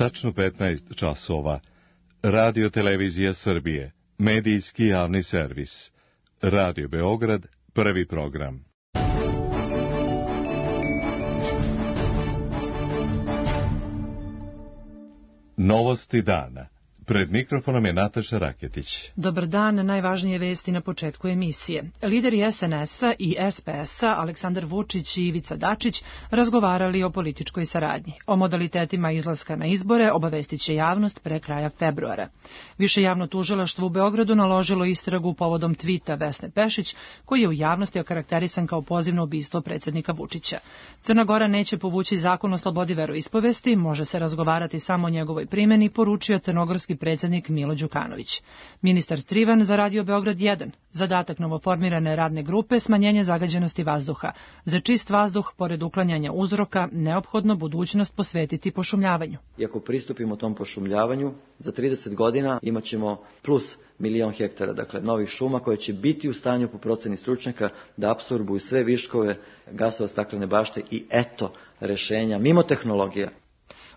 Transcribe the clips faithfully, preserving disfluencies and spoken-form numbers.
tačno petnaest časova. Radio Televizija Srbije, medijski javni servis. Radio Beograd, prvi program. Novosti dana. Pred mikrofonom je Nataša Raketić. Dobar dan, najvažnije vesti na početku emisije. Lideri es en es-a i es pe es-a, Aleksandar Vučić i Ivica Dačić, razgovarali o političkoj saradnji. O modalitetima izlaska na izbore obavestit će javnost pre kraja februara. Više javno tužilaštvo u Beogradu naložilo istragu povodom tvita Vesne Pešić, koji je u javnosti okarakterisan kao poziv na ubistvo predsjednika Vučića. Crna Gora neće povući zakon o slobodi veroispovesti, može se razgovarati samo o njegovoj primjeni, poručio crnogorski predsjednik Milo Đukanović. Ministar Trivan za Radio Beograd jedan. Zadatak novoformirane radne grupe smanjenje zagađenosti vazduha. Za čist vazduh, pored uklanjanja uzroka, neophodno budućnost posvetiti pošumljavanju. I ako pristupimo tom pošumljavanju, za trideset godina imat ćemo plus milion hektara, dakle novih šuma koje će biti u stanju po proceni stručnjaka da apsorbuju sve viškove gasova staklene bašte i eto rešenja mimo tehnologija.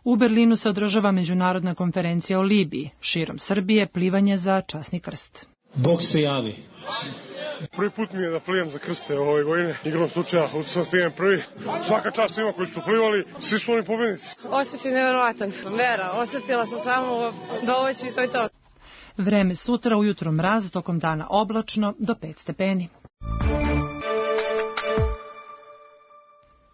U Berlinu se održava međunarodna konferencija o Libiji. Širom Srbije plivanje za časni krst. Bog se javi. Prvi put mi je da plivam za krste ove godine. Igrom slučaja, sam stignem prvi. Svaka čast svima koji su plivali, svi su oni pobjednici. Osjećaj nevjerovatan. Vera, osjetila sam samo dovoći i to je to. Vreme sutra, ujutro mraz, tokom dana oblačno, do pet stepeni.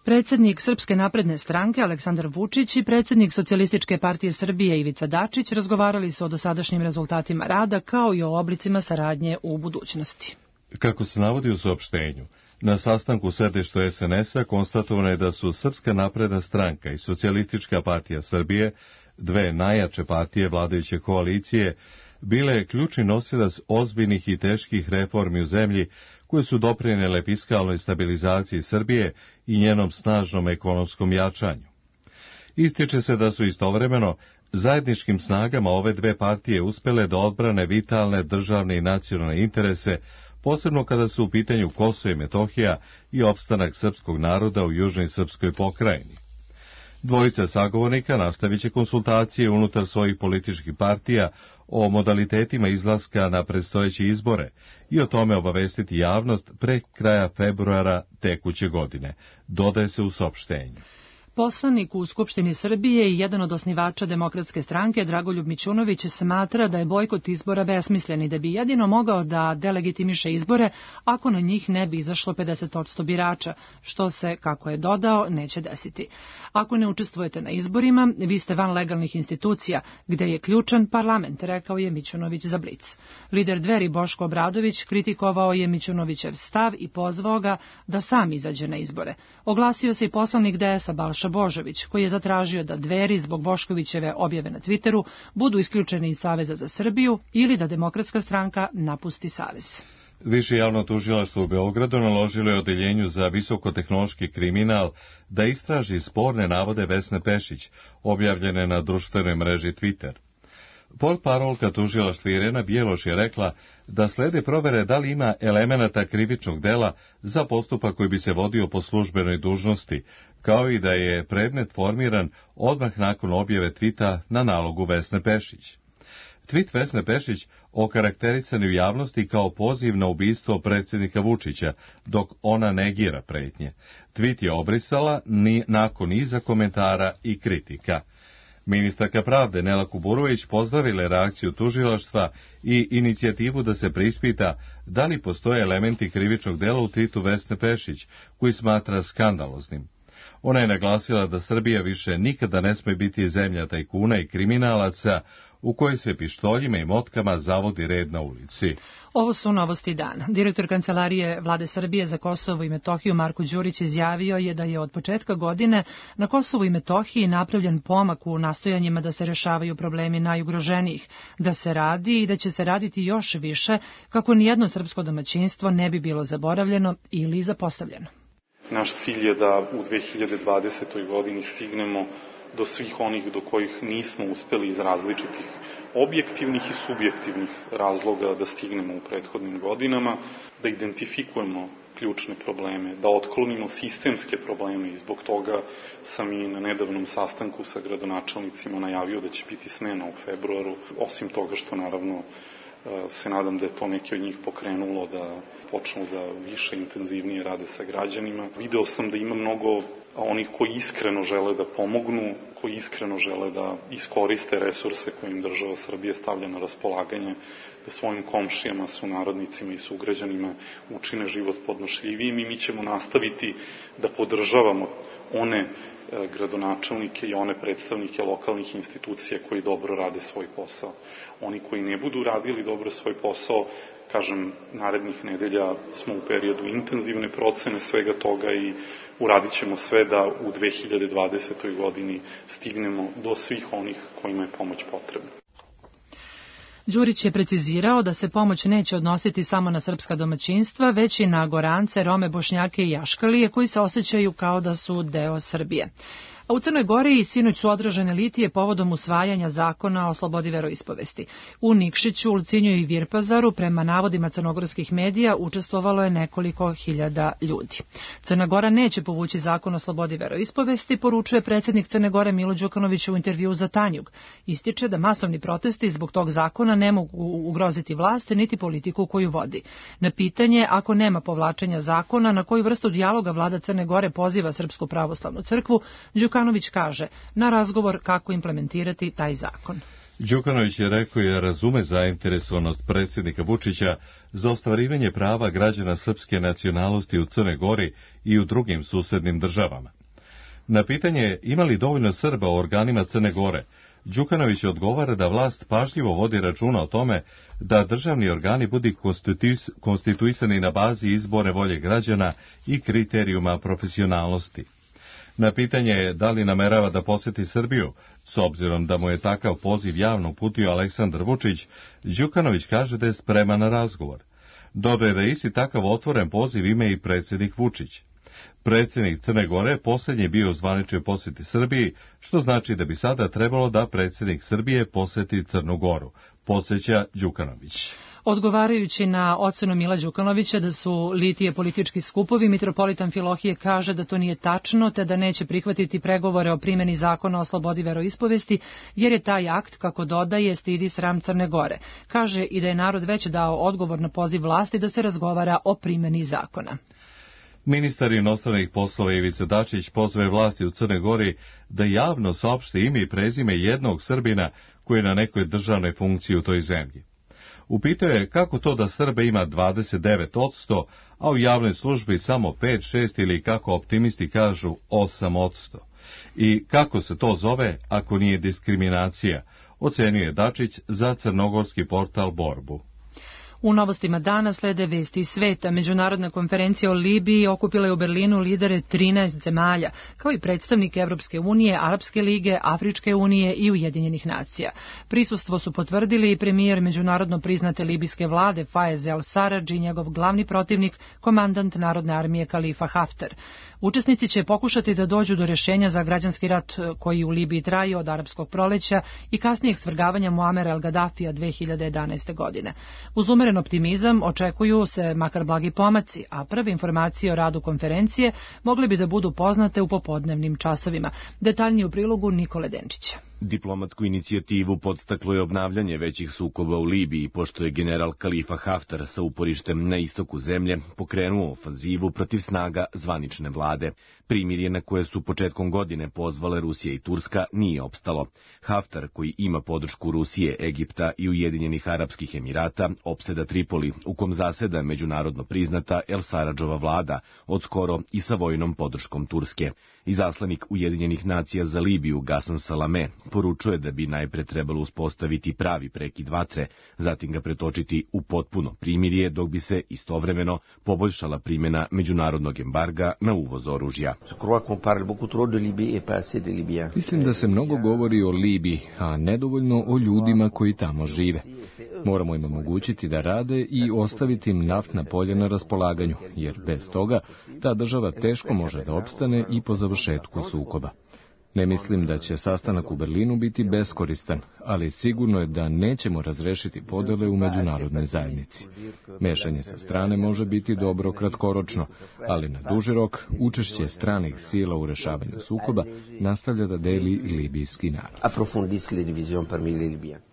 Predsjednik Srpske napredne stranke Aleksandar Vučić i predsjednik Socijalističke partije Srbije Ivica Dačić razgovarali su o dosadašnjim rezultatima rada kao i o oblicima saradnje u budućnosti. Kako se navodi u saopštenju, na sastanku u sedištu es en es-a konstatovano je da su Srpska napredna stranka i Socijalistička partija Srbije, dve najjače partije vladajuće koalicije, bile ključni nosilac ozbiljnih i teških reformi u zemlji koje su doprinijele fiskalnoj stabilizaciji Srbije i njenom snažnom ekonomskom jačanju. Ističe se da su istovremeno zajedničkim snagama ove dve partije uspjele da odbrane vitalne državne i nacionalne interese, posebno kada su u pitanju Kosovo i Metohija i opstanak srpskog naroda u južnoj srpskoj pokrajini. Dvojica sagovornika nastavit će konsultacije unutar svojih političkih partija o modalitetima izlaska na predstojeće izbore i o tome obavestiti javnost pre kraja februara tekuće godine, dodaje se u saopštenju. Poslanik u Skupštini Srbije i jedan od osnivača Demokratske stranke, Dragoljub Mićunović, smatra da je bojkot izbora besmislen i da bi jedino mogao da delegitimiše izbore ako na njih ne bi izašlo pedeset posto birača, što se, kako je dodao, neće desiti. Ako ne učestvujete na izborima, vi ste van legalnih institucija, gde je ključan parlament, rekao je Mićunović za Blic. Lider Dveri Boško Obradović kritikovao je Mićunovićev stav i pozvao ga da sam izađe na izbore. Oglasio se i poslanik de es-a Balša Božović, koji je zatražio da Dveri zbog Boškovićeve objave na Twitteru budu isključeni iz Saveza za Srbiju ili da Demokratska stranka napusti Savez. Više javno tužilaštvo u Beogradu naložilo je odeljenju za visokotehnološki kriminal da istraži sporne navode Vesne Pešić, objavljene na društvenoj mreži Twitter. Portparolka tužilaštva Irena Bjeloš je rekla da slede provere da li ima elemenata krivičnog dela za postupak koji bi se vodio po službenoj dužnosti, kao i da je predmet formiran odmah nakon objave tvita na nalogu Vesne Pešić. Tvit Vesne Pešić okarakterisan je u javnosti kao poziv na ubistvo predsjednika Vučića, dok ona negira pretnje. Tvit je obrisala ni nakon niza komentara i kritika. Ministarka pravde Nela Kuburović pozdravila reakciju tužilaštva i inicijativu da se preispita da li postoje elementi krivičnog dela u tvitu Vesne Pešić, koji smatra skandaloznim. Ona je naglasila da Srbija više nikada ne sme biti zemlja tajkuna i kriminalaca u kojoj se pištoljima i motkama zavodi red na ulici. Ovo su novosti dana. Direktor Kancelarije Vlade Srbije za Kosovo i Metohiju Marko Đurić izjavio je da je od početka godine na Kosovu i Metohiji napravljen pomak u nastojanjima da se rešavaju problemi najugroženijih, da se radi i da će se raditi još više kako nijedno srpsko domaćinstvo ne bi bilo zaboravljeno ili zapostavljeno. Naš cilj je da u dve hiljade dvadesetoj godini stignemo do svih onih do kojih nismo uspeli iz različitih objektivnih i subjektivnih razloga da stignemo u prethodnim godinama, da identifikujemo ključne probleme, da otklonimo sistemske probleme i zbog toga sam i na nedavnom sastanku sa gradonačelnicima najavio da će biti smena u februaru, osim toga što naravno se nadam da je to neki od njih pokrenulo da počnu da više intenzivnije rade sa građanima. Video sam da ima mnogo onih koji iskreno žele da pomognu, koji iskreno žele da iskoriste resurse koje im država Srbije stavlja na raspolaganje, da svojim komšijama, sunarodnicima i sugrađanima učine život podnošljivijim i mi ćemo nastaviti da podržavamo one gradonačelnike i one predstavnike lokalnih institucija koji dobro rade svoj posao. Oni koji ne budu radili dobro svoj posao, kažem, narednih nedelja smo u periodu intenzivne procene svega toga i uradit ćemo sve da u dve hiljade dvadesetoj godini stignemo do svih onih kojima je pomoć potrebna. Đurić je precizirao da se pomoć neće odnositi samo na srpska domaćinstva, već i na Gorance, Rome, Bošnjake i Jaškalije koji se osjećaju kao da su deo Srbije. A u Crnoj Gori sinoć su održane litije povodom usvajanja zakona o slobodi veroispovesti. U Nikšiću, Ulcinju i Virpazaru, prema navodima crnogorskih medija, učestvovalo je nekoliko hiljada ljudi. Crna Gora neće povući zakon o slobodi veroispovesti, poručuje predsjednik Crne Gore Milo Đukanović u intervjuu za Tanjug. Ističe da masovni protesti zbog tog zakona ne mogu ugroziti vlast niti politiku koju vodi. Na pitanje, ako nema povlačenja zakona, na koju vrstu dijaloga vlada Crne Gore poziva Srpsku pravoslavnu crkvu, Đukanović kaže na razgovor kako implementirati taj zakon. Đukanović je rekao je razume zainteresovanost predsjednika Vučića za ostvarivanje prava građana srpske nacionalnosti u Crnoj Gori i u drugim susednim državama. Na pitanje ima li dovoljno Srba u organima Crne Gore, Đukanović odgovara da vlast pažljivo vodi računa o tome da državni organi budu konstituisani na bazi izbore volje građana i kriterijuma profesionalnosti. Na pitanje da li namerava da poseti Srbiju, s obzirom da mu je takav poziv javno uputio Aleksandar Vučić, Đukanović kaže da je spreman na razgovor. Dodaje da je isti takav otvoren poziv ima i predsjednik Vučić. Predsjednik Crne Gore posljednji bio u zvaničnoj posjeti Srbiji, što znači da bi sada trebalo da predsjednik Srbije posjeti Crnu Goru, podsjeća Đukanović. Odgovarajući na ocenu Mila Đukanovića da su litije politički skupovi, mitropolitan Filohije kaže da to nije tačno, te da neće prihvatiti pregovore o primjeni zakona o slobodi veroispovesti, jer je taj akt, kako dodaje, stidi sram Crne Gore. Kaže i da je narod već dao odgovor na poziv vlasti da se razgovara o primjeni zakona. Ministar inostranih poslova Ivica Dačić pozove vlasti u Crnoj Gori da javno saopšte ime i prezime jednog Srbina koji je na nekoj državnoj funkciji u toj zemlji. Upitao je kako to da Srba ima dvadeset devet posto, a u javnoj službi samo pet šest ili kako optimisti kažu osam posto. I kako se to zove ako nije diskriminacija, ocenio je Dačić za crnogorski portal Borbu. U novostima dana slede vesti iz sveta. Međunarodna konferencija o Libiji okupila je u Berlinu lidere trinaest zemalja, kao i predstavnike Evropske unije, Arapske lige, Afričke unije i Ujedinjenih nacija. Prisustvo su potvrdili i premijer međunarodno priznate libijske vlade Fayez el-Sarraj i njegov glavni protivnik, komandant Narodne armije Kalifa Haftar. Učesnici će pokušati da dođu do rješenja za građanski rat koji u Libiji traje od arapskog proleća i kasnijeg svrgavanja Muamera el-Gaddafija dve hiljade jedanaeste. godine. Uz umeren optimizam očekuju se makar blagi pomaci, a prve informacije o radu konferencije mogle bi da budu poznate u popodnevnim časovima. Detaljnije u prilogu Nikole Denčića. Diplomatsku inicijativu podstaklo je obnavljanje većih sukoba u Libiji, pošto je general Kalifa Haftar sa uporištem na istoku zemlje pokrenuo ofanzivu protiv snaga zvanične vlade. Primirje na koje su početkom godine pozvale Rusija i Turska nije opstalo. Haftar, koji ima podršku Rusije, Egipta i Ujedinjenih Arapskih Emirata, opseda Tripoli, u kom zaseda međunarodno priznata El-Sarradžova vlada, od skoro i sa vojnom podrškom Turske. Izaslanik Ujedinjenih nacija za Libiju, Gasan Salame, poručuje da bi najpre trebalo uspostaviti pravi prekid vatre, zatim ga pretočiti u potpuno primirje, dok bi se istovremeno poboljšala primjena međunarodnog embarga na uvoz oružja. Mislim da se mnogo govori o Libiji, a nedovoljno o ljudima koji tamo žive. Moramo im omogućiti da rade i ostaviti im naftna polja na raspolaganju, jer bez toga ta država teško može da opstane i po završetku sukoba. Ne mislim da će sastanak u Berlinu biti beskoristan, ali sigurno je da nećemo razrešiti podele u međunarodnoj zajednici. Mešanje sa strane može biti dobro kratkoročno, ali na duži rok učešće stranih sila u rešavanju sukoba nastavlja da deli libijski narod.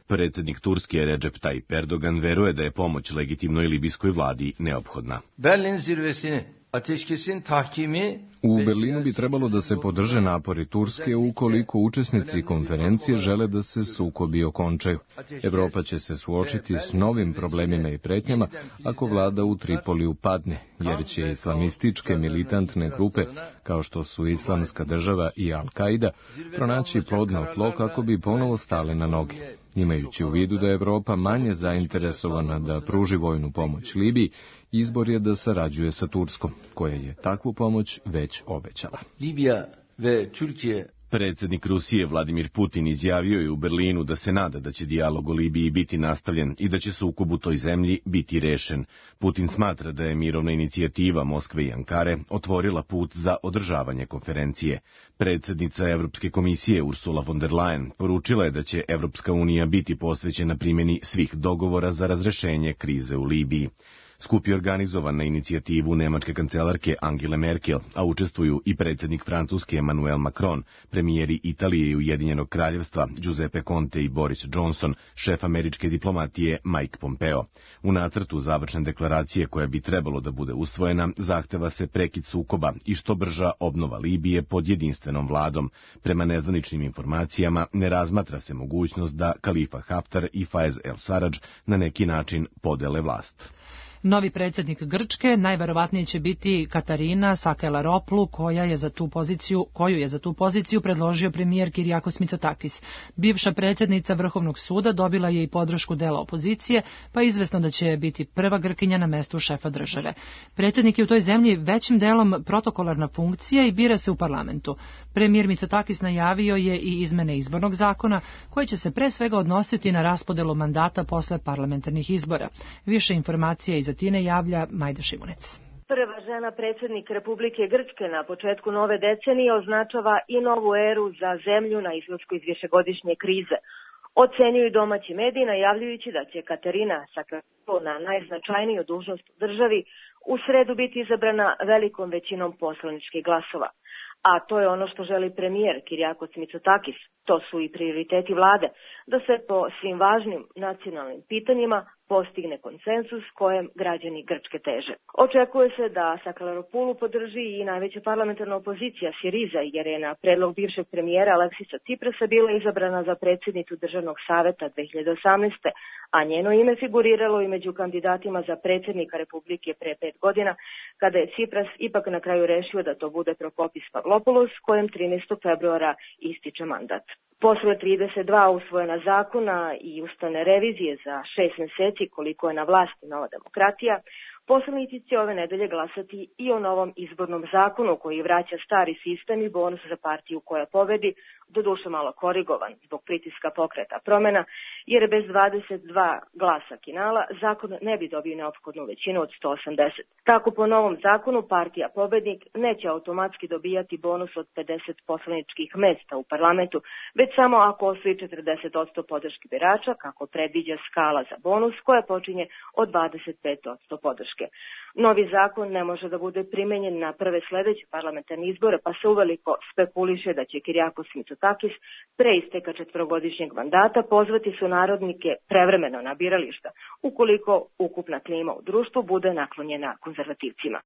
Predsjednik Turske Recep Tayyip Erdogan veruje da je pomoć legitimnoj libijskoj vladi neophodna. Berlin zirvesini ateşkesin tahkimi U Berlinu bi trebalo da se podrže napori Turske ukoliko učesnici konferencije žele da se sukobi okončaju. Evropa će se suočiti s novim problemima i pretnjama ako vlada u Tripoliju padne, jer će islamističke militantne grupe, kao što su Islamska država i Al-Kaida, pronaći plodno tlo kako bi ponovo stale na noge. Imajući u vidu da je Evropa manje zainteresovana da pruži vojnu pomoć Libiji, izbor je da sarađuje sa Turskom, koja je takvu pomoć već obećala. Libija ve Türkiye. Predsjednik Rusije Vladimir Putin izjavio je u Berlinu da se nada da će dijalog o Libiji biti nastavljen i da će sukob u toj zemlji biti rešen. Putin smatra da je mirovna inicijativa Moskve i Ankare otvorila put za održavanje konferencije. Predsjednica Evropske komisije Ursula von der Leyen poručila je da će Evropska unija biti posvećena primjeni svih dogovora za razrešenje krize u Libiji. Skup je organizovan na inicijativu nemačke kancelarke Angele Merkel, a učestvuju i predsjednik Francuske Emmanuel Macron, premijeri Italije i Ujedinjenog kraljevstva Giuseppe Conte i Boris Johnson, šef američke diplomatije Mike Pompeo. U nacrtu završne deklaracije koja bi trebalo da bude usvojena, zahteva se prekid sukoba i što brža obnova Libije pod jedinstvenom vladom. Prema nezvaničnim informacijama ne razmatra se mogućnost da Kalifa Haftar i Faiz el-Sarraj na neki način podele vlast. Novi predsjednik Grčke najverovatnije će biti Katarina Sakelaropulu, koja je za tu poziciju, koju je za tu poziciju predložio premijer Kyriakos Mitsotakis. Bivša predsjednica Vrhovnog suda dobila je i podršku dela opozicije, pa je izvesno da će biti prva Grkinja na mestu šefa države. Predsjednik je u toj zemlji većim delom protokolarna funkcija i bira se u parlamentu. Premijer Mitsotakis najavio je i izmene izbornog zakona, koje će se pre svega odnositi na raspodelu mandata posle parlamentarnih izbora. Više informacija iz Atine javlja Majda Šimunec. Prva žena predsjednik Republike Grčke na početku nove decenije označava i novu eru za zemlju na izlasku iz višegodišnje krize. Ocenjuju domaći mediji najavljujući da će Katarina Sakeraropulu na najznačajniju dužnost u državi u sredu biti izabrana velikom većinom poslaničkih glasova. A to je ono što želi premijer Kyriakos Mitsotakis. To su i prioriteti vlade, da se po svim važnim nacionalnim pitanjima postigne konsensus kojem građani Grčke teže. Očekuje se da Sakelaropulu podrži i najveća parlamentarna opozicija Siriza, jer je na predlog bivšeg premijera Aleksisa Tsiprasa bila izabrana za predsjednicu Državnog saveta dve hiljade osamnaeste. a njeno ime figuriralo i među kandidatima za predsjednika Republike pre pet godina, kada je Tsipras ipak na kraju rešio da to bude Prokopis Pavlopoulos, kojem trinaestog februara ističe mandat. Posle trideset dva usvojena zakona i ustavne revizije za šest meseci koliko je na vlasti Nova demokratija, poslanici će ove nedelje glasati i o novom izbornom zakonu koji vraća stari sistem i bonus za partiju koja pobedi, doduše malo korigovan zbog pritiska Pokreta promena, jer bez dvadeset dva glasa Kinala zakon ne bi dobio neophodnu većinu od sto osamdeset. Tako po novom zakonu partija pobednik neće automatski dobijati bonus od pedeset poslaničkih mesta u parlamentu, već samo ako osvoji četrdeset posto podrške birača, kako predviđa skala za bonus koja počinje od dvadeset pet posto podrške. Novi zakon ne može da bude primenjen na prve sledeće parlamentarne izbore, pa se uveliko spekuliše da će Kyriakos Mitsotakis pre isteka četvorogodišnjeg mandata pozvati su narodnike prevremeno na birališta, ukoliko ukupna klima u društvu bude naklonjena konzervativcima.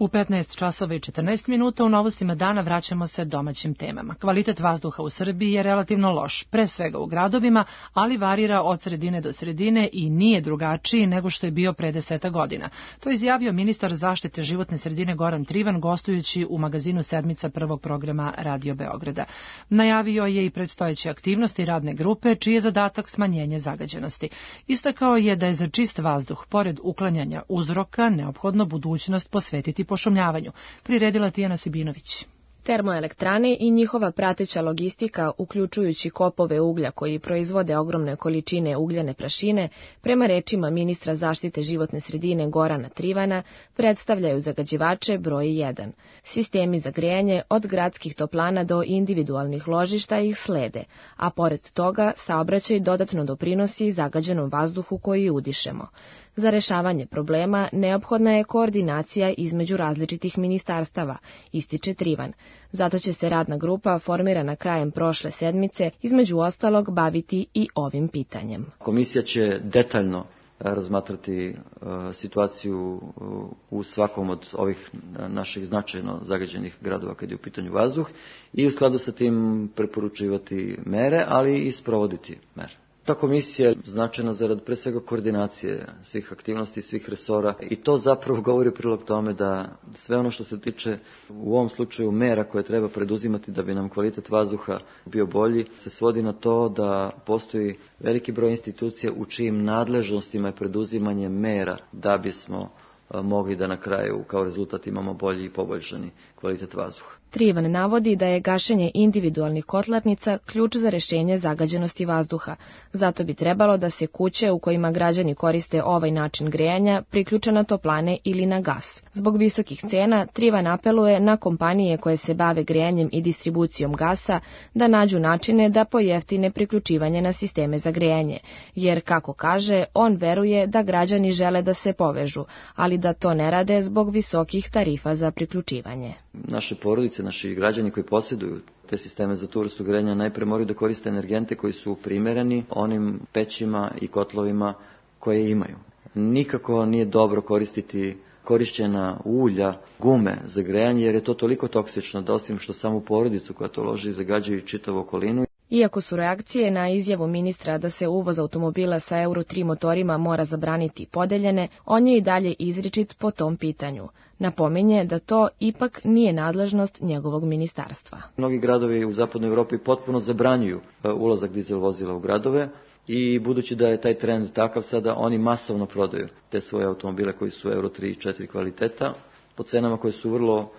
U petnaest časova i četrnaest minuta u novostima dana vraćamo se domaćim temama. Kvalitet vazduha u Srbiji je relativno loš, pre svega u gradovima, ali varira od sredine do sredine i nije drugačiji nego što je bio pre deseta godina. To je izjavio ministar zaštite životne sredine Goran Trivan gostujući u magazinu Sedmica prvog programa Radio Beograda. Najavio je i predstojeće aktivnosti radne grupe, čiji je zadatak smanjenje zagađenosti. Istakao je da je za čist vazduh, pored uklanjanja uzroka, neophodno budućnost posvetiti pošumljavanju, priredila Tijana Sibinović. Termoelektrane i njihova prateća logistika, uključujući kopove uglja koji proizvode ogromne količine ugljene prašine, prema rečima ministra zaštite životne sredine Gorana Trivana, predstavljaju zagađivače broj jedan. Sistemi za grejanje od gradskih toplana do individualnih ložišta ih slede, a pored toga saobraćaj dodatno doprinosi zagađenom vazduhu koji udišemo. Za rešavanje problema neophodna je koordinacija između različitih ministarstava, ističe Trivan. Zato će se radna grupa, formirana krajem prošle sedmice, između ostalog baviti i ovim pitanjem. Komisija će detaljno razmatrati uh, situaciju uh, u svakom od ovih naših značajno zagađenih gradova kad je u pitanju vazduh i u skladu sa tim preporučivati mere, ali i sprovoditi mere. Ta komisija je značajna zarad pre svega koordinacije svih aktivnosti, svih resora i to zapravo govori u prilog tome da sve ono što se tiče u ovom slučaju mera koje treba preduzimati da bi nam kvalitet vazduha bio bolji, se svodi na to da postoji veliki broj institucija u čijim nadležnostima je preduzimanje mera da bismo mogli da na kraju kao rezultat imamo bolji i poboljšani kvalitet vazduha. Trivan navodi da je gašenje individualnih kotlarnica ključ za rešenje zagađenosti vazduha. Zato bi trebalo da se kuće u kojima građani koriste ovaj način grejanja priključe na toplane ili na gas. Zbog visokih cena, Trivan apeluje na kompanije koje se bave grejanjem i distribucijom gasa da nađu načine da pojeftine priključivanje na sisteme za grejanje, jer, kako kaže, on veruje da građani žele da se povežu, ali da to ne rade zbog visokih tarifa za priključivanje. Naše porodice, naši građani koji posjeduju te sisteme za tu vrstu grejanja najpre moraju da koriste energente koji su primereni onim pećima i kotlovima koje imaju. Nikako nije dobro koristiti korišćena ulja, gume za grejanje, jer je to toliko toksično da osim što samu porodicu koja to loži zagađuju čitavu okolinu. Iako su reakcije na izjavu ministra da se uvoz automobila sa Euro tri motorima mora zabraniti podeljene, on je i dalje izričit po tom pitanju. Napominje da to ipak nije nadležnost njegovog ministarstva. Mnogi gradovi u zapadnoj Evropi potpuno zabranjuju ulazak dizel vozila u gradove i budući da je taj trend takav sada, oni masovno prodaju te svoje automobile koji su Euro tri i četiri kvaliteta po cenama koje su vrlo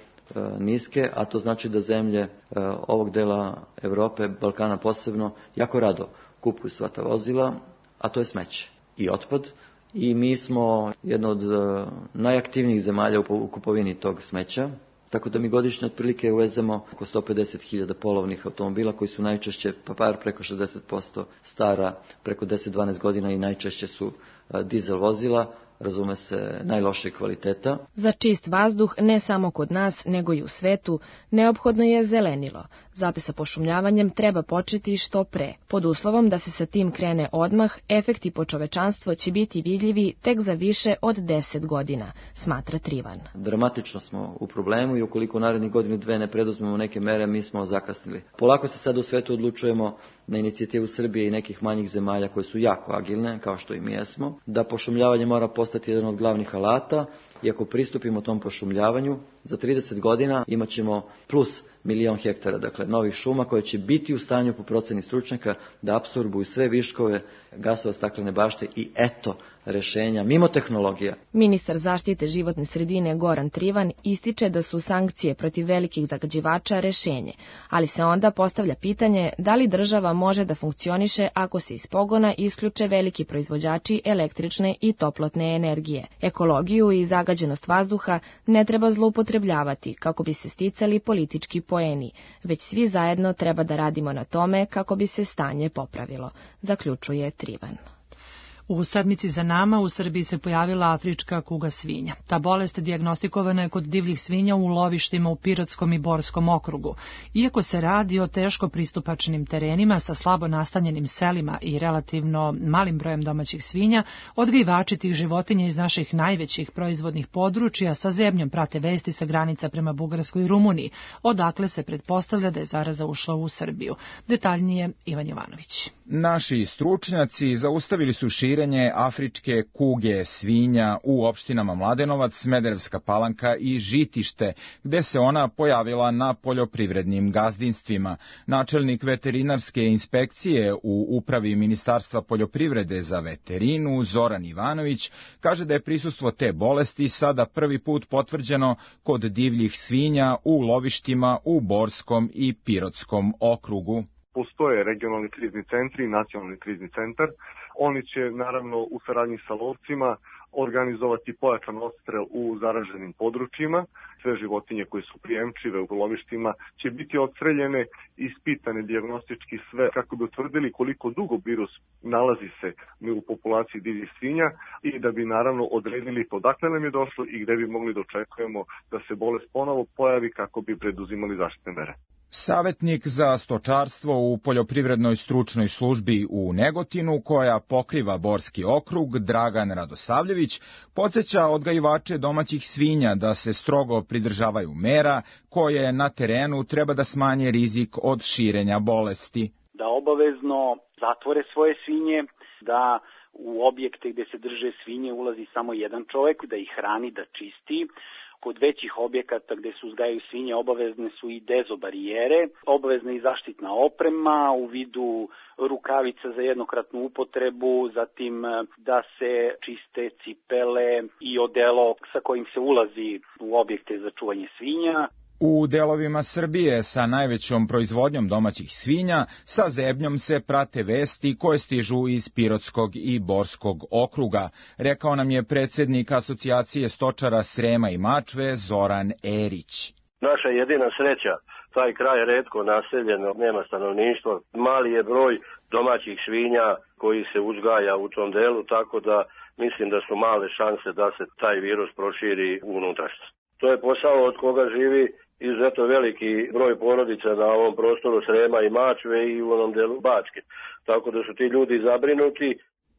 niske, a to znači da zemlje ovog dela Evrope, Balkana posebno, jako rado kupuju sva ta vozila, a to je smeće i otpad. I mi smo jedna od najaktivnijih zemalja u kupovini tog smeća, tako da mi godišnje otprilike uvezemo oko sto pedeset hiljada polovnih automobila koji su najčešće, pa par preko šezdeset posto stara, preko deset do dvanaest godina i najčešće su dizel vozila, razume se, najlošijeg kvaliteta. Za čist vazduh, ne samo kod nas, nego i u svetu, neophodno je zelenilo. Zato sa pošumljavanjem treba početi što pre. Pod uslovom da se sa tim krene odmah, efekti po čovečanstvo će biti vidljivi tek za više od deset godina, smatra Trivan. Dramatično smo u problemu i ukoliko u narednih godinu dve ne preduzmemo neke mere, mi smo zakasnili. Polako se sad u svetu odlučujemo na inicijativu Srbije i nekih manjih zemalja koje su jako agilne, kao što i mi jesmo, da pošumljavanje mora postati jedan od glavnih alata i ako pristupimo tom pošumljavanju, za trideset godina imat ćemo plus milion hektara, dakle novih šuma koje će biti u stanju po proceni stručnjaka da apsorbuju sve viškove gasova staklene bašte i eto rešenja mimo tehnologija. Ministar zaštite životne sredine Goran Trivan ističe da su sankcije protiv velikih zagađivača rešenje, ali se onda postavlja pitanje da li država može da funkcioniše ako se iz pogona isključe veliki proizvođači električne i toplotne energije. Ekologiju i zagađenost vazduha ne treba zloupotrebljavati kako bi se sticali politički poeni, već svi zajedno treba da radimo na tome kako bi se stanje popravilo, zaključuje Trivan. U sedmici za nama u Srbiji se pojavila afrička kuga svinja. Ta bolest dijagnostikovana je kod divljih svinja u lovištima u Pirotskom i Borskom okrugu. Iako se radi o teško pristupačnim terenima sa slabo nastanjenim selima i relativno malim brojem domaćih svinja, odgajivači tih životinja iz naših najvećih proizvodnih područja sa zebnjom prate vesti sa granica prema Bugarskoj i Rumuniji, odakle se pretpostavlja da je zaraza ušla u Srbiju. Detaljnije Ivan Jovanović. Naši stručnjaci zaustavili su širenje širenje afričke kuge svinja u opštinama Mladenovac, Smederevska Palanka i Žitište, gde se ona pojavila na poljoprivrednim gazdinstvima. Načelnik veterinarske inspekcije u upravi Ministarstva poljoprivrede za veterinu, Zoran Ivanović, kaže da je prisustvo te bolesti sada prvi put potvrđeno kod divljih svinja u lovištima u Borskom i Pirotskom okrugu. Postoje regionalni krizni centri i nacionalni krizni centar. Oni će naravno u saradnji sa lovcima organizovati pojačan odstrel u zaraženim područjima. Sve životinje koje su prijemčive u lovištima će biti odstreljene, ispitane dijagnostički sve kako bi utvrdili koliko dugo virus nalazi se u populaciji divljih svinja i da bi naravno odredili odakle nam je došlo i gde bi mogli da očekujemo da se bolest ponovo pojavi kako bi preduzimali zaštitne mere. Savetnik za stočarstvo u poljoprivrednoj stručnoj službi u Negotinu, koja pokriva Borski okrug, Dragan Radosavljević, podsjeća odgajivače domaćih svinja da se strogo pridržavaju mera koje na terenu treba da smanje rizik od širenja bolesti. Da obavezno zatvore svoje svinje, da u objekte gde se drže svinje ulazi samo jedan čovek, da ih hrani, da čisti. Kod većih objekata gde se uzgajaju svinje obavezne su i dezobarijere, obavezna i zaštitna oprema u vidu rukavica za jednokratnu upotrebu, zatim da se čiste cipele i odelo sa kojim se ulazi u objekte za čuvanje svinja. U delovima Srbije sa najvećom proizvodnjom domaćih svinja sa zebnjom se prate vesti koje stižu iz Pirotskog i Borskog okruga, rekao nam je predsjednik Asocijacije stočara Srema i Mačve Zoran Erić. Naša jedina sreća, taj kraj je retko naseljeno, nema stanovništva, mali je broj domaćih svinja koji se uzgaja u tom delu, tako da mislim da su male šanse da se taj virus proširi u unutrašnjost. To je posao od koga živi izuzetno veliki broj porodica na ovom prostoru Srema i Mačve i u onom delu Bačke. Tako da su ti ljudi zabrinuti.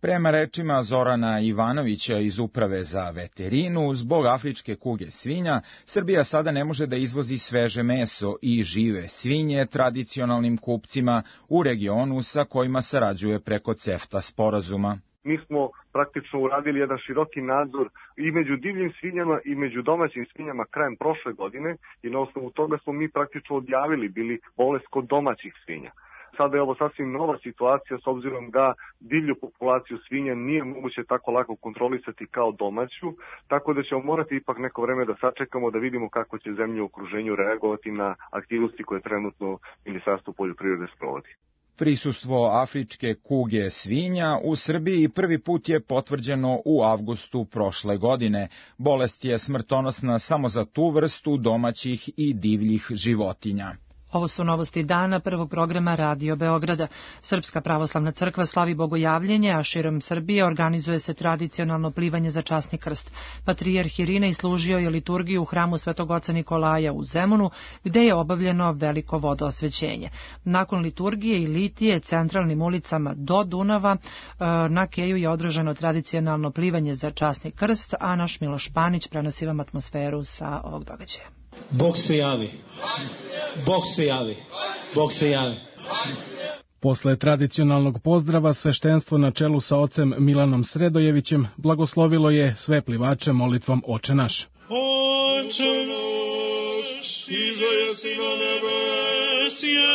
Prema rečima Zorana Ivanovića iz Uprave za veterinu, zbog afričke kuge svinja, Srbija sada ne može da izvozi sveže meso i žive svinje tradicionalnim kupcima u regionu sa kojima sarađuje preko CEFTA sporazuma. Mi smo praktično uradili jedan široki nadzor i među divljim svinjama i među domaćim svinjama krajem prošle godine i na osnovu toga smo mi praktično odjavili bili bolest kod domaćih svinja. Sada je ovo sasvim nova situacija s obzirom da divlju populaciju svinja nije moguće tako lako kontrolisati kao domaću, tako da ćemo morati ipak neko vreme da sačekamo da vidimo kako će zemlje u okruženju reagovati na aktivnosti koje trenutno Ministarstvo poljoprivrede sprovodi. Prisustvo afričke kuge svinja u Srbiji prvi put je potvrđeno u avgustu prošle godine. Bolest je smrtonosna samo za tu vrstu domaćih i divljih životinja. Ovo su novosti dana prvog programa Radio Beograda. Srpska pravoslavna crkva slavi bogojavljenje, a širom Srbije organizuje se tradicionalno plivanje za časni krst. Patrijarh Irinej služio je liturgiju u hramu Svetog oca Nikolaja u Zemunu, gde je obavljeno veliko vodoosvećenje. Nakon liturgije i litije centralnim ulicama do Dunava na Keju je održano tradicionalno plivanje za časni krst, a naš Miloš Panić prenosi vam atmosferu sa ovog događaja. Bog se javi. Bog se javi. Bog se javi. Posle tradicionalnog pozdrava sveštenstvo na čelu sa ocem Milanom Sredojevićem blagoslovilo je sve plivače molitvom Oče naš. Oče naš, iza jesi na nebesije,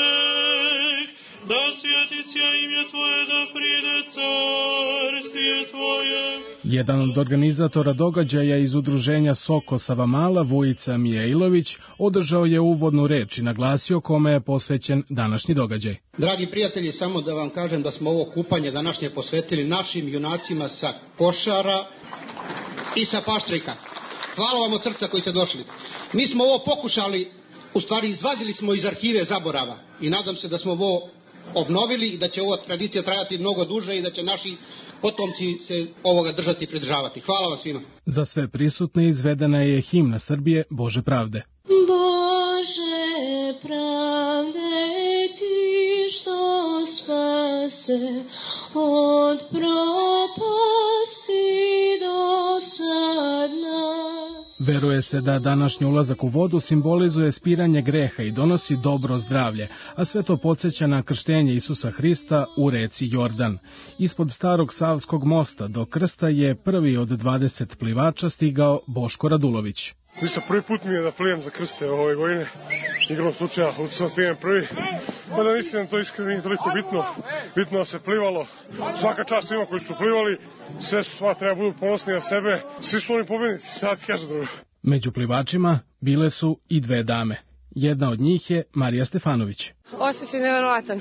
da svjetića imje Tvoje, da pride carstije Tvoje. Jedan od organizatora događaja iz udruženja Soko Savamala, Vujica Mijailović, održao je uvodnu reč i naglasio kome je posvećen današnji događaj. Dragi prijatelji, samo da vam kažem da smo ovo kupanje današnje posvetili našim junacima sa Košara i sa Paštrika. Hvala vam od srca koji ste došli. Mi smo ovo pokušali, u stvari izvadili smo iz arhive zaborava i nadam se da smo ovo obnovili i da će ova tradicija trajati mnogo duže i da će naši potomci se ovoga držati i pridržavati. Hvala vam svima. Za sve prisutne izvedena je himna Srbije Bože pravde. Bože pravde, ti što spase od propasti do sad nas. Veruje se da današnji ulazak u vodu simbolizuje spiranje greha i donosi dobro zdravlje, a sve to podsjeća na krštenje Isusa Hrista u reci Jordan. Ispod starog Savskog mosta do krsta je prvi od dvadeset plivača stigao Boško Radulović. Nisam prvi put mi je da plijem za krste ove godine. Igrom slučaja, u sam stignem prvi. Mada mislim da to iskreno nije toliko bitno. Bitno da se plivalo. Svaka čast ima koji su plivali. Sve su sva treba budu ponosni na sebe. Svi su oni pobjednici, sad ti kažem drugo. Među plivačima bile su i dve dame. Jedna od njih je Marija Stefanović. Osjećaj neverovatan.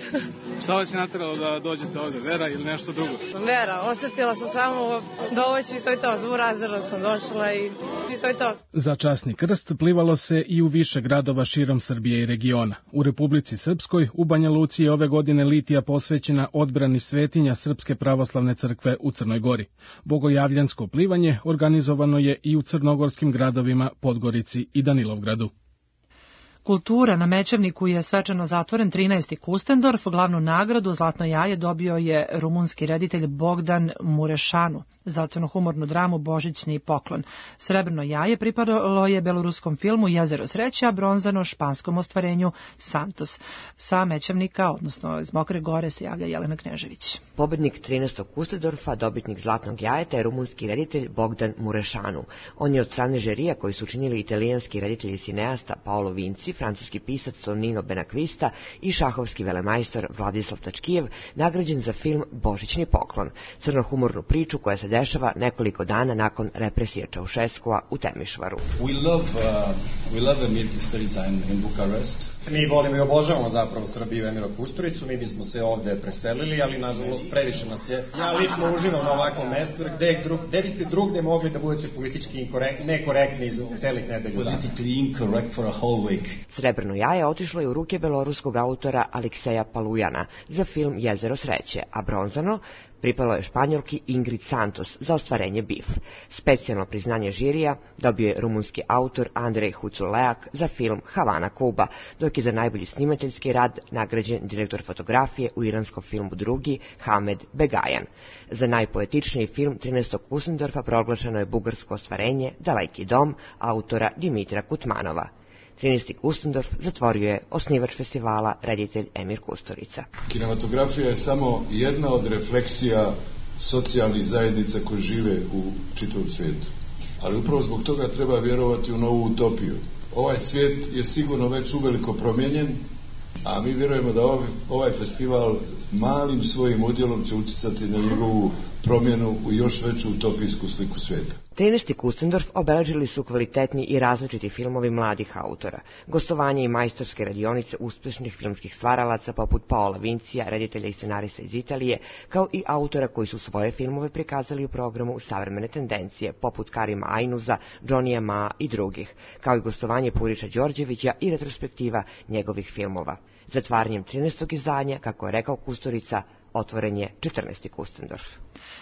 Šta vas je nateralo da dođete ovde, vera ili nešto drugo? Vera, osjetila sam samo dovoću i to je to, zvu razredno sam došla i, i to je to. Za časni krst plivalo se i u više gradova širom Srbije i regiona. U Republici Srpskoj, u Banja Luci je ove godine litija posvećena odbrani svetinja Srpske pravoslavne crkve u Crnoj Gori. Bogojavljansko plivanje organizovano je i u crnogorskim gradovima Podgorici i Danilovgradu. Kultura na Mećavniku je svečano zatvoren trinaesti Kustendorf. Glavnu nagradu Zlatno jaje dobio je rumunski reditelj Bogdan Murešanu za crnohumornu dramu Božićni poklon. Srebrno jaje pripadalo je beloruskom filmu Jezero sreće, a bronzano španskom ostvarenju Santos. Sa Mećavnika, odnosno iz Mokre Gore, se javlja Jelena Knežević. Pobednik trinaestog Kustendorfa, dobitnik Zlatnog jajeta, je rumunski reditelj Bogdan Murešanu. On je od strane žirija koji su činili italijanski reditelj i cineasta Paolo Vinci, francuski pisac Tonino Benakvista i šahovski velemajstor Vladislav Tačkijev nagrađen za film Božićni poklon, crnohumornu priču koja se dešava nekoliko dana nakon represije Čaušeskova u Temišvaru. We love, uh, we love Emir Kusturica in, in Bukarest. Mi volimo i obožavamo zapravo Srbiju i Emira Kusturicu, mi bismo se ovde preselili, ali nažalost previše nas je. Ja lično uživam na ovakvom mestu, gde, drug, gde biste drugde mogli da budete politički inkorekt, nekorektni celih nedelju dana. Politically incorrect for a whole week. Srebrno jaje otišlo je u ruke beloruskog autora Alekseja Palujana za film Jezero sreće, a bronzano pripalo je Španjolki Ingrid Santos za ostvarenje Bif. Specijalno priznanje žirija dobio je rumunski autor Andrej Huculeak za film Havana, Kuba, dok je za najbolji snimateljski rad nagrađen direktor fotografije u iranskom filmu Drugi Hamed Begajan. Za najpoetičniji film trinaestog Kustendorfa proglašeno je bugarsko ostvarenje Daleki dom autora Dimitra Kutmanova. trinaesti Kustendorf zatvorio je osnivač festivala, reditelj Emir Kusturica. Kinematografija je samo jedna od refleksija socijalnih zajednica koje žive u čitavom svijetu. Ali upravo zbog toga treba vjerovati u novu utopiju. Ovaj svijet je sigurno već uveliko promijenjen, a mi vjerujemo da ovaj, ovaj festival malim svojim udjelom će utjecati na njegovu promjenu u još veću utopijsku sliku svijeta. trinaesti Kustendorf obeležili su kvalitetni i različiti filmovi mladih autora, gostovanje i majstorske radionice uspješnih filmskih stvaralaca poput Paola Vincija, reditelja i scenarista iz Italije, kao i autora koji su svoje filmove prikazali u programu Savremene tendencije, poput Karima Ajnuza, Johnnyja Maa i drugih, kao i gostovanje Puriša Đorđevića i retrospektiva njegovih filmova. Zatvaranjem trinaestog izdanja, kako je rekao Kusturica, otvoren je četrnaesti Kustendorf.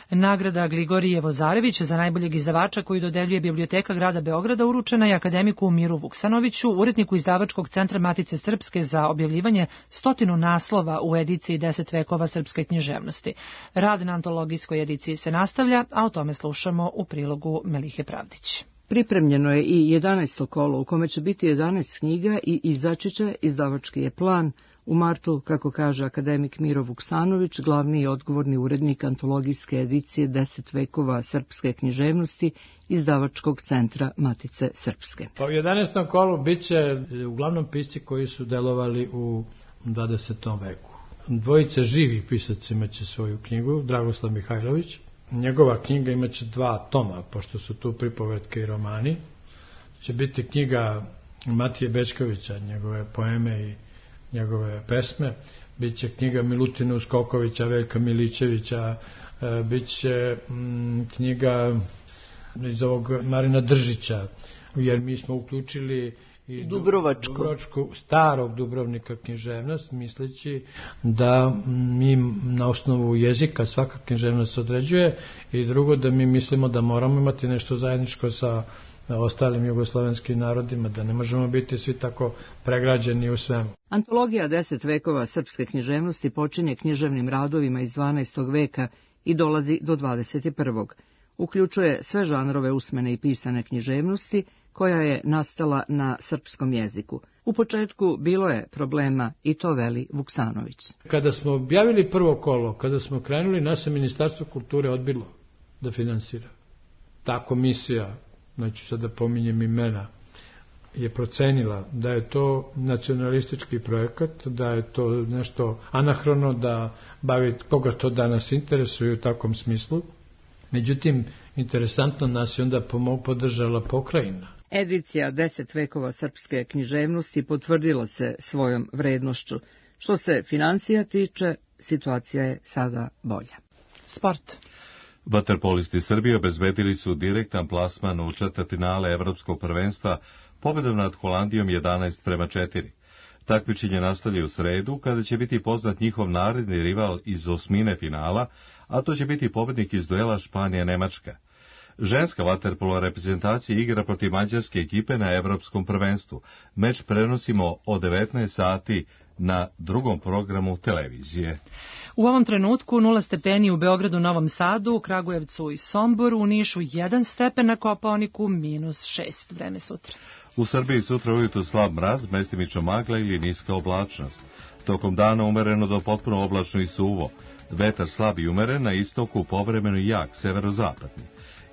Nagrada Gligorije Vozarević za najboljeg izdavača koju dodeljuje Biblioteka grada Beograda uručena je akademiku Miru Vuksanoviću, uredniku izdavačkog centra Matice Srpske za objavljivanje stotinu naslova u ediciji deset vekova srpske književnosti. Rad na antologijskoj ediciji se nastavlja, a o tome slušamo u prilogu Melihe Pravdić. Pripremljeno je i jedanaesto kolo u kome će biti jedanaest knjiga i izaći će, izdavački je plan, u martu, kako kaže akademik Miro Vuksanović, glavni i odgovorni urednik antologijske edicije deset vekova srpske književnosti izdavačkog centra Matice Srpske. Pa u jedanaestom kolu bit će uglavnom pisci koji su delovali u dvadesetom veku. Dvojice živih pisaca imaće svoju knjigu, Dragoslav Mihajlović. Njegova knjiga imaće dva toma, pošto su tu pripovetke i romani. Će biti knjiga Matije Bečkovića, njegove poeme i njegove pesme. Biće knjiga Milutina Uskokovića, Veljka Milićevića, biće mm, knjiga iz ovog Marina Držića, jer mi smo uključili i Dubrovačku. Dubrovačku, starog Dubrovnika književnost, misleći da mi na osnovu jezika svaka književnost se određuje, i drugo da mi mislimo da moramo imati nešto zajedničko sa ostalim jugoslovenskim narodima, da ne možemo biti svi tako pregrađeni u svemu. Antologija deset vekova srpske književnosti počinje književnim radovima iz dvanaestog veka i dolazi do dvadeset prvog. uključuje sve žanrove usmene i pisane književnosti koja je nastala na srpskom jeziku. U početku bilo je problema i to veli Vuksanović. Kada smo objavili prvo kolo, kada smo krenuli, naše Ministarstvo kulture odbilo da finansira. Ta komisija, znači sad da pominjem imena, je procenila da je to nacionalistički projekat, da je to nešto anahrono, da bavi koga to danas interesuje u takvom smislu. Međutim, interesantno nas je onda podržala pokrajina. Edicija deset vekova srpske književnosti potvrdila se svojom vrednošću. Što se finansija tiče, situacija je sada bolja. Sport. Vaterpolisti Srbije obezbedili su direktan plasman u četvrtfinale Evropskog prvenstva pobedom nad Holandijom jedanaest prema četiri. Takmičenje nastavlja u sredu, kada će biti poznat njihov naredni rival iz osmine finala, a to će biti pobednik iz duela Španija-Nemačka. Ženska vaterpolo reprezentacija igra protiv mađarske ekipe na Evropskom prvenstvu. Meč prenosimo od devetnaest sati na drugom programu televizije. U ovom trenutku nula stepeni u Beogradu, Novom Sadu, u Kragujevcu i Somboru, u Nišu jedan stepen, na Kopaoniku minus šest. Vreme sutra. U Srbiji sutra ujutru slab mraz, mestimično magla ili niska oblačnost. Tokom dana umereno do potpuno oblačno i suvo. Vetar slab i umeren, na istoku povremeno jak, severozapadni.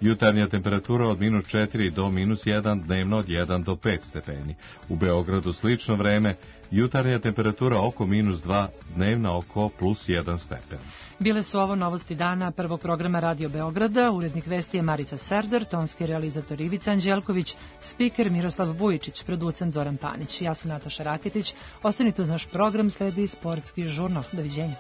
Jutarnja temperatura od minus četiri do minus jedan, dnevno od jedan do pet stepeni. U Beogradu slično vreme, jutarnja temperatura oko minus dva, dnevna oko plus jedan stepen. Bile su ovo novosti dana prvog programa Radio Beograda. Urednik vesti je Marica Serdar, tonski realizator Ivica Anđelković, spiker Miroslav Vujičić, producent Zoran Panić. Ja sam Nataša Raketić. Ostanite uz naš program, sledi sportski žurnal. Doviđenja.